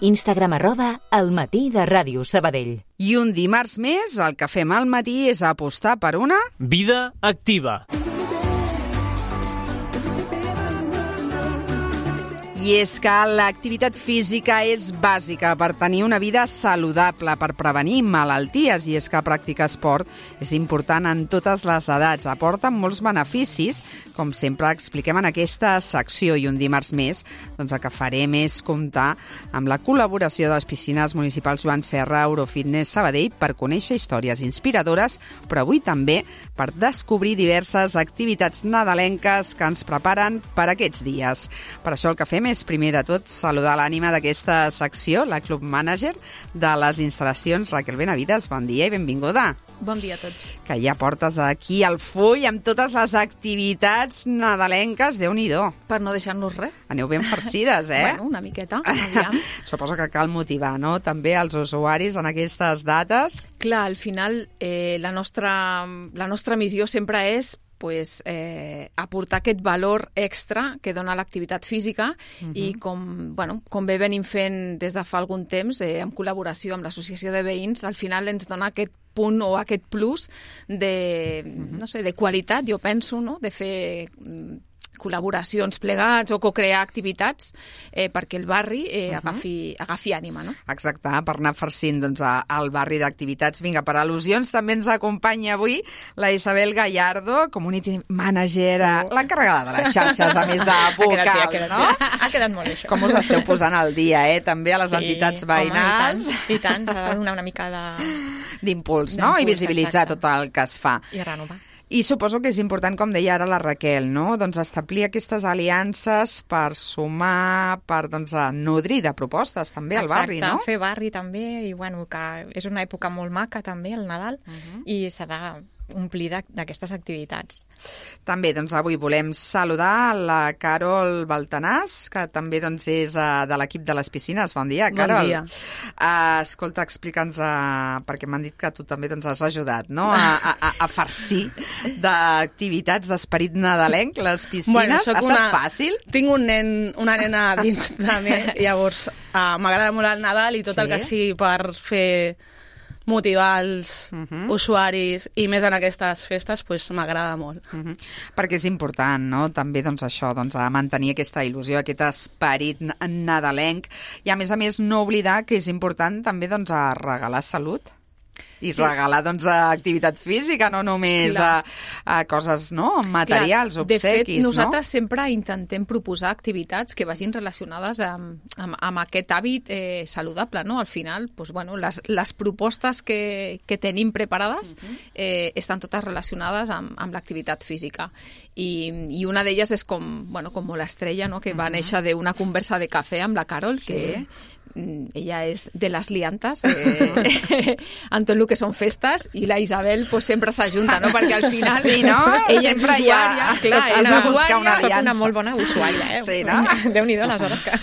Instagram @elmatí de Ràdio Sabadell. I un dimarts més, el que fem al matí és apostar per una vida activa. I és que l'activitat física és bàsica per tenir una vida saludable, per prevenir malalties, i és que practicar esport és important en totes les edats. Aporta molts beneficis, com sempre expliquem en aquesta secció, i un dimarts més doncs el que farem és comptar amb la col·laboració de les piscines municipals Joan Serra, Eurofitness Sabadell, per conèixer històries inspiradores, però avui també per descobrir diverses activitats nadalenques que ens preparen per aquests dies. Per això el que fem és, primer de tot, saludar l'ànima d'aquesta secció, la club manager de les instal·lacions, Raquel Benavides. Bon dia i benvinguda. Bon dia a tots. Que ja portes aquí el full amb totes les activitats nadalenques, Déu-n'hi-do. Per no deixar-nos res. Aneu ben farcides, Bueno, una miqueta, aviam. Suposo que cal motivar, no?, també els usuaris en aquestes dates. Clar, al final la nostra missió sempre és aportar aquest valor extra que dona l'activitat física i com bé venim fent des de fa algun temps, en col·laboració amb l'Associació de Veïns, al final ens dona aquest punt o aquest plus de qualitat, jo penso, no?, de fer col·laboracions plegats o co-crear activitats perquè el barri agafi ànima, no? Exacte, per anar farcint el barri d'activitats. Vinga, per al·lusions també ens acompanya avui la Isabel Gallardo, community manager, l'encarregada de les xarxes, a més de vocal, no? Ha quedat molt això. Com us esteu posant al dia, també a les entitats veïnals? I tant, s'ha de donar una mica d'impuls, no? I visibilitzar tot el que es fa. I renovar. I suposo que és important, com deia ara la Raquel, no?, doncs establir aquestes aliances per sumar, per nodrir de propostes també al barri, no? Exacte, fer barri també, i que és una època molt maca també, el Nadal, i s'ha de omplir d'aquestes activitats. També, avui volem saludar la Carol Baltanàs, que també és de l'equip de les piscines. Bon dia, Carol. Bon dia. Escolta, explica'ns, perquè m'han dit que tu també has ajudat, no?, a farcir d'activitats d'esperit nadalenc, les piscines. Ha estat fàcil? Tinc una nena dins de mi, llavors m'agrada molt el Nadal i tot el que sigui per fer motivar els usuaris, i més en aquestes festes, m'agrada molt. Perquè és important, no?, també això, mantenir aquesta il·lusió, aquest esperit nadalenc, i a més no oblidar que és important també regalar salut i regalar activitat física, no només a coses, no?, materials, obsequis, no? De fet, nosaltres sempre intentem proposar activitats que vagin relacionades amb aquest hàbit saludable, no? Al final, les propostes que tenim preparades estan totes relacionades amb l'activitat física. I una d'elles és com molt estrella, no?, que va néixer d'una conversa de cafè amb la Carol, que ella és de les liantes en tot el que són festes, i la Isabel sempre s'ajunta, no?, perquè al final ella és usuària, soc una molt bona usuària, sí, no? Déu-n'hi-do les hores que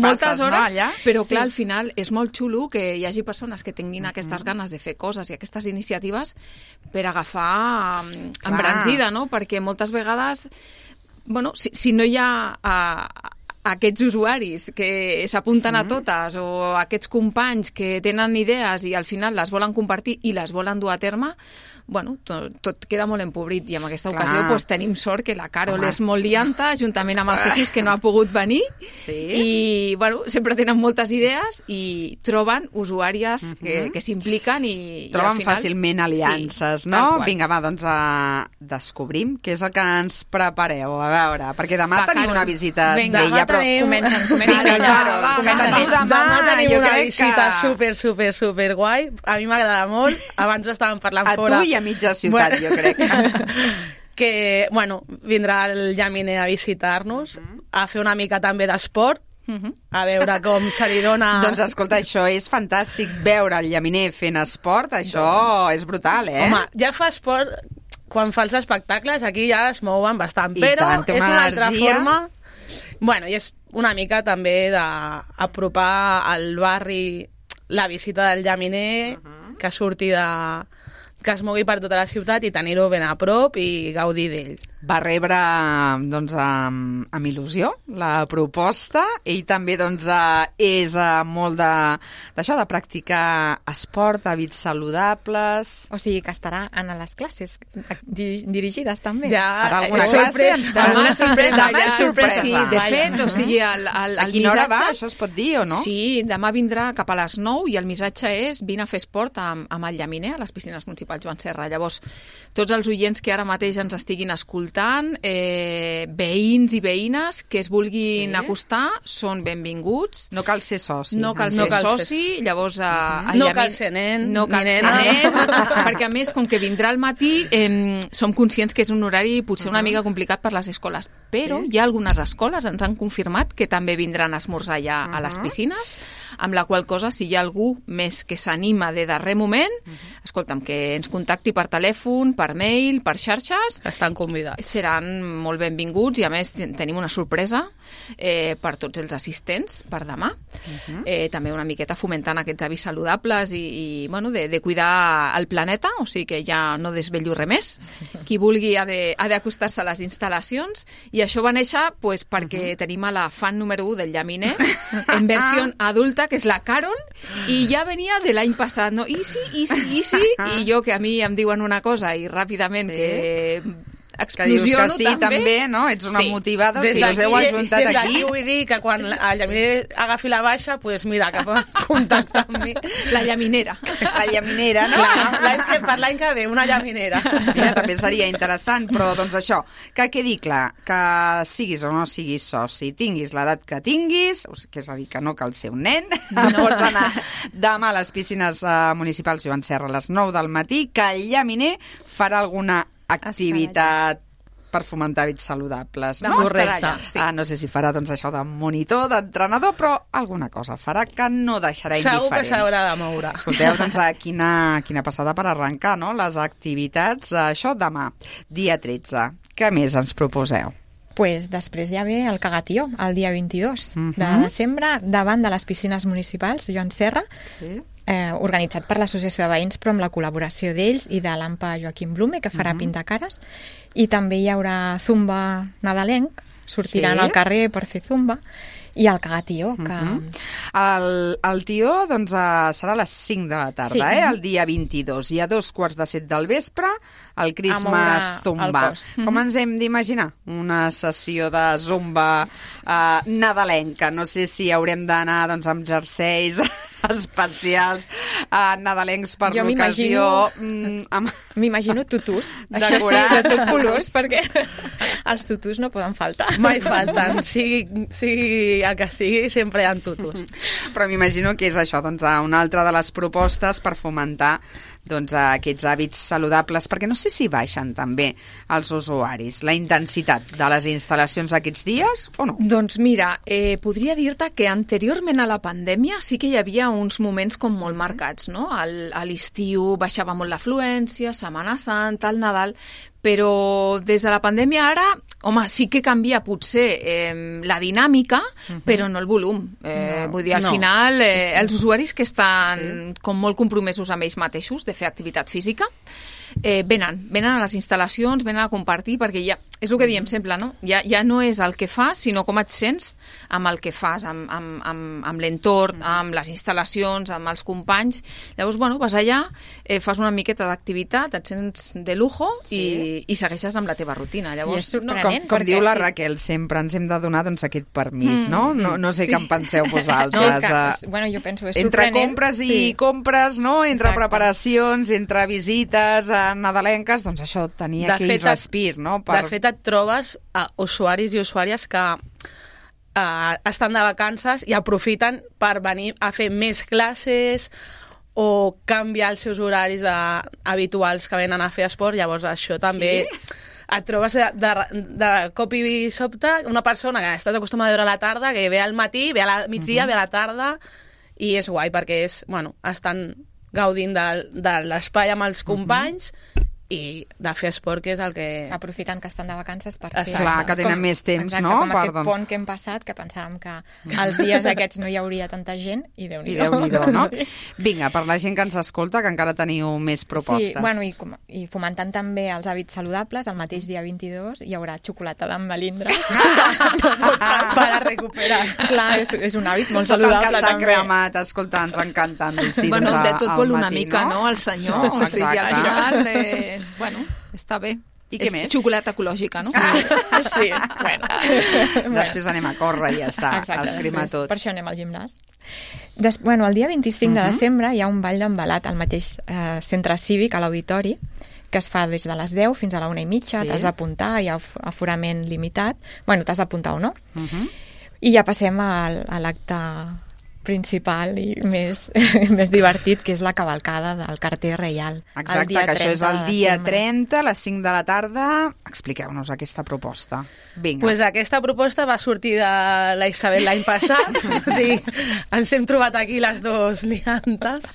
moltes hores, però clar, al final és molt xulo que hi hagi persones que tinguin aquestes ganes de fer coses i aquestes iniciatives per agafar embranzida, no?, perquè moltes vegades si no hi ha aquests usuaris que s'apunten a totes, o aquests companys que tenen idees i al final les volen compartir i les volen dur a terme, tot queda molt empobrit, i en aquesta ocasió tenim sort que la Carol és molt lianta, juntament amb el Jesús, que no ha pogut venir, i sempre tenen moltes idees i troben usuàries que s'impliquen i troben fàcilment aliances, no? Vinga, descobrim què és el que ens prepareu, a veure, perquè demà tenim una visita d'ella, però comencen. Demà tenim una visita super guai, a mi m'agrada molt, abans estàvem parlant fora. A tu i a mitja ciutat, jo crec. Que, vindrà el Llaminer a visitar-nos, a fer una mica també d'esport, a veure com se li dona... Doncs escolta, això és fantàstic, veure el Llaminer fent esport, això és brutal, Home, ja fa esport quan fa els espectacles, aquí ja es mouen bastant, però és una altra forma... I és una mica també d'apropar al barri la visita del Llaminer, que surti que es mogui per tota la ciutat i tenir-ho ben a prop i gaudir d'ell. va rebre doncs, amb il·lusió la proposta. Ell també doncs, és molt d'això, de practicar esport, hàbits saludables. O sigui que estarà en les classes dirigides també. Ja, per alguna classe ens demà sorpresa. Sí, de fet, o sigui, a quina hora va? Això es pot dir o no? Sí, demà vindrà cap a les 9 i el missatge és vine a fer esport amb el llaminer a les piscines municipals Joan Serra. Llavors, tots els oients que ara mateix ens estiguin escoltant, veïns i veïnes que es vulguin acostar, són benvinguts. No cal ser soci. No cal ser soci, llavors... No cal ser nen. No cal ser nen, perquè a més, com que vindrà al matí, som conscients que és un horari potser una mica complicat per les escoles, però hi ha algunes escoles, ens han confirmat que també vindran a esmorzar ja a les piscines, amb la qual cosa, si hi ha algú més que s'anima de darrer moment, escolta'm, que ens contacti per telèfon, per mail, per xarxes. Estan convidats. Seran molt benvinguts i, a més, tenim una sorpresa per tots els assistents per demà. També una miqueta fomentant aquests hàbits saludables i bueno, de cuidar el planeta, o sigui que ja no desvello res més. Qui vulgui ha d'acostar-se a les instal·lacions, i això va néixer pues, perquè tenim a la fan número 1 del llaminer, en versió adulta, que és la Carol, i ja venia de l'any passat, no? Easy, i jo, que a mi em diuen una cosa i ràpidament que explosiono, que dius que també, no? Ets una motivada, si us heu ajuntat aquí. Des d'aquí vull dir que quan el llaminer agafi la baixa, doncs mira, que poden contactar amb mi. La llaminera. La llaminera, no? Per l'any que ve, una llaminera. Mira, també seria interessant, però doncs això, que quedi clar, que siguis o no siguis soci, tinguis l'edat que tinguis, que és a dir, que no cal ser un nen, pots anar demà a les piscines municipals Joan Serra a les 9 del matí, que el llaminer farà alguna activitat per fomentar hàbits saludables, no? Correcte. Sí. No sé si farà doncs, això de monitor, d'entrenador, però alguna cosa farà que no deixarà indiferents. Segur que s'haurà de moure. Escolteu, doncs, quina passada per arrencar, no? Les activitats, això demà, dia 13. Què més ens proposeu? Pues després ja ve el Cagatió, el dia 22 de desembre, davant de les piscines municipals Joan Serra, organitzat per l'Associació de Veïns, però amb la col·laboració d'ells i de l'AMPA Joaquim Blume, que farà pintacares, i també hi haurà zumba nadalenc, sortiran al carrer per fer zumba, i el Cagatió. El tió doncs, serà a les 5 de la tarda, el dia 22, i a 2:15 del vespre el Christmas Zumba. Com ens hem d'imaginar? Una sessió de zumba nadalenca. No sé si haurem d'anar doncs, amb jerseis especials nadalencs per l'ocasió. M'imagino tutús, de tots colors, perquè els tutús no poden faltar. Mai falten, sigui el que sigui, sempre hi ha tutús. Però m'imagino que és això, doncs, una altra de les propostes per fomentar doncs, aquests hàbits saludables, perquè no sé si baixen també els usuaris, la intensitat de les instal·lacions aquests dies o no? Doncs mira, podria dir-te que anteriorment a la pandèmia sí que hi havia uns moments com molt marcats, no? A l'estiu baixava molt l'afluència, Setmana Santa, el Nadal, però des de la pandèmia ara, home, sí que canvia potser la dinàmica, però no el volum. Vull dir, al final, els usuaris que estan com molt compromesos amb ells mateixos de fer activitat física, venen a les instal·lacions, venen a compartir, perquè ja, és el que diem sempre, no? Ja no és el que fas, sinó com et sents amb el que fas, amb l'entorn, amb les instal·lacions, amb els companys. Llavors, bueno, vas allà, fas una miqueta d'activitat, et sents de lujo i segueixes amb la teva rutina. Llavors, I és sorprenent, com diu la Raquel, sempre ens hem de donar doncs, aquest permís, no? No sé què en penseu vosaltres. Bueno, jo penso, és entre sorprenent. Compres i compres, no? Entre preparacions, entre visites nadalenques, doncs això, tenia aquell respir, no? De fet, et trobes usuaris i usuàries que estan de vacances i aprofiten per venir a fer més classes o canviar els seus horaris habituals que venen a fer esport. Llavors això també et trobes de cop i sobte una persona que estàs acostumada a veure a la tarda, que ve al matí, ve a la migdia, ve a la tarda, i és guai perquè estan gaudint de l'espai amb els companys i de fer esport, que és el que... Aprofitant que estan de vacances per fer... Clar, que tenen més temps, exacte, no? Com aquest pont que hem passat, que pensàvem que els dies aquests no hi hauria tanta gent, i Déu-n'hi-do, no? Sí. Vinga, per la gent que ens escolta, que encara teniu més propostes. Sí, bueno, i fomentant també els hàbits saludables, el mateix dia 22 hi haurà xocolata amb melindres per a recuperar. Clar, és un hàbit molt saludable també. També. Cremat, escolta, ens encanten dolcins bueno, de tot vol una matí, mica, no? El senyor, o sigui, al final, bueno, està bé. I què més? Xocolata ecològica, no? Sí, bueno. Després anem a córrer i ja està, a escrimar tot. Per això anem al gimnàs. Bueno, el dia 25 de desembre hi ha un ball d'embalat al mateix centre cívic, a l'auditori, que es fa des de les 10 fins a la 1:30, t'has d'apuntar, hi ha aforament limitat. Bueno, t'has d'apuntar o no. I ja passem a l'acte principal i més divertit, que és la cavalcada del carter reial. Exacte, que això és el dia 30, a les 5 de la tarda. Expliqueu-nos aquesta proposta. Vinga. Pues aquesta proposta va sortir de la Isabel l'any passat. O sigui, ens hem trobat aquí les dues liantes.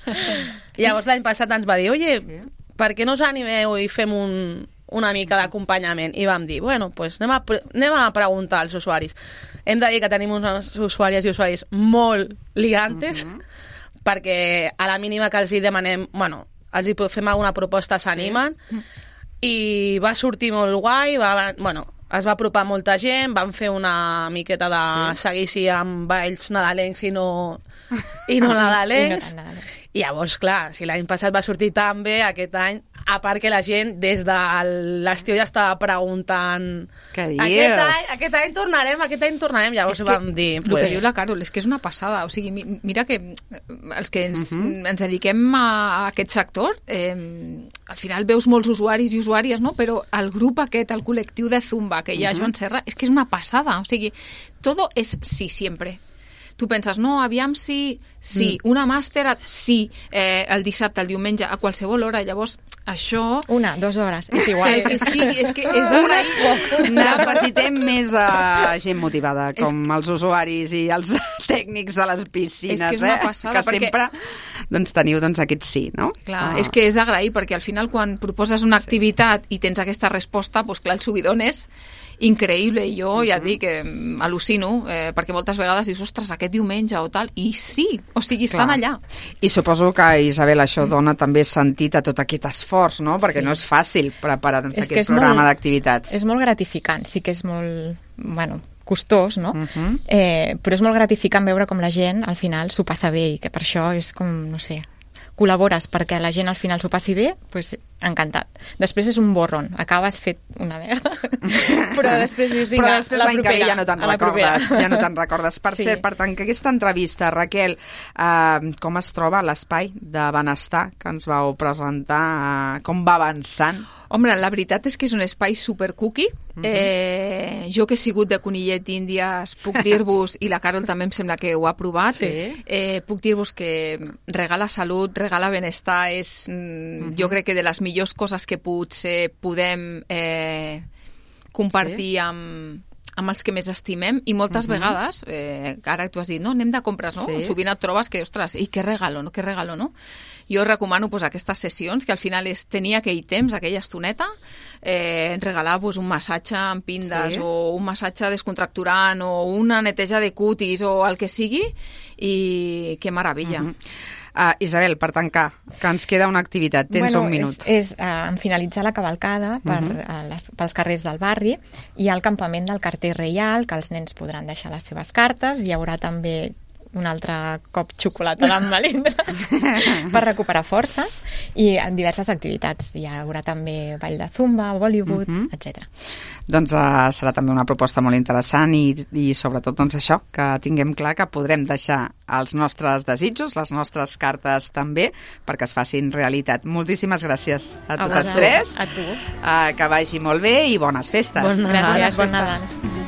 Llavors l'any passat ens va dir, oye, per què no us animeu i fem una mica d'acompanyament? I vam dir, bueno, pues anem a preguntar als usuaris. Hem de dir que tenim unes usuàries i usuaris molt liantes, perquè a la mínima que els hi demanem, bueno, els hi fem alguna proposta, s'animen, i va sortir molt guai, es va apropar molta gent, van fer una miqueta de seguici amb balls nadalencs i no nadalencs. I llavors, clar, si l'any passat va sortir tan bé, aquest any, a part que la gent des de l'estiu ja estava preguntant... Què dius? Aquest any tornarem, llavors vam dir... El que diu la Carol és que és una passada, o sigui, mira que els que ens dediquem a aquest sector, al final veus molts usuaris i usuàries, no? Però el grup aquest, el col·lectiu de Zumba que hi ha a Joan Serra, és que és una passada, o sigui, todo es sí sempre. Tu penses, no, aviam sí, una màster, sí, el dissabte, el diumenge, a qualsevol hora, llavors això... 1, 2 hores, és igual. És que és d'agrair. Necessitem més gent motivada, com els usuaris i els tècnics de les piscines, és que és una passada, que sempre teniu aquest sí, no? Clar, és que és d'agrair, perquè al final quan proposes una activitat i tens aquesta resposta, doncs clar, el subidón és increïble, i jo ja et dic que al·lucino, perquè moltes vegades dius, ostres, aquest diumenge o tal, i sí, o sigui, estan allà. I suposo que, Isabel, això dona també sentit a tot aquest esforç, no? Perquè no és fàcil preparar aquest programa d'activitats. És molt gratificant, sí que és molt, costós, no? Però és molt gratificant veure com la gent al final s'ho passa bé, i que per això és com, no sé, col·labores perquè la gent al final s'ho passi bé, doncs encantat. Després és un borron, acabes fet una merda, però després dius, vinga, l'any que ve ja no te'n recordes. Per cert, per tancar aquesta entrevista, Raquel, com es troba l'espai de benestar que ens vau presentar? Com va avançant? Home, la veritat és que és un espai super cookie. Jo que he sigut de conillet d'Índies puc dir-vos, i la Carol també em sembla que ho ha provat, puc dir-vos que regala salut, regala benestar, és jo crec que de les millors coses que potser podem compartir amb els que més estimem, i moltes vegades, ara tu has dit, no, anem de compres, no? Sovint et trobes que, ostres, i que regalo, no? Jo recomano aquestes sessions, que al final és tenir aquell temps, aquella estoneta, regalar un massatge amb pindes, o un massatge descontracturant, o una neteja de cutis, o el que sigui, i que meravella. Isabel, per tancar, que ens queda una activitat, tens un minut. És en finalitzar la cavalcada pels carrers del barri, hi ha el campament del carter reial, que els nens podran deixar les seves cartes, hi haurà també un altre cop xocolata amb melindres per recuperar forces, i en diverses activitats. Hi haurà també ball de zumba, Bollywood, etc. Doncs serà també una proposta molt interessant, i sobretot això, que tinguem clar que podrem deixar els nostres desitjos, les nostres cartes també, perquè es facin realitat. Moltíssimes gràcies a totes tres. A tu. Que vagi molt bé i bones festes. Gràcies, bon Nadal.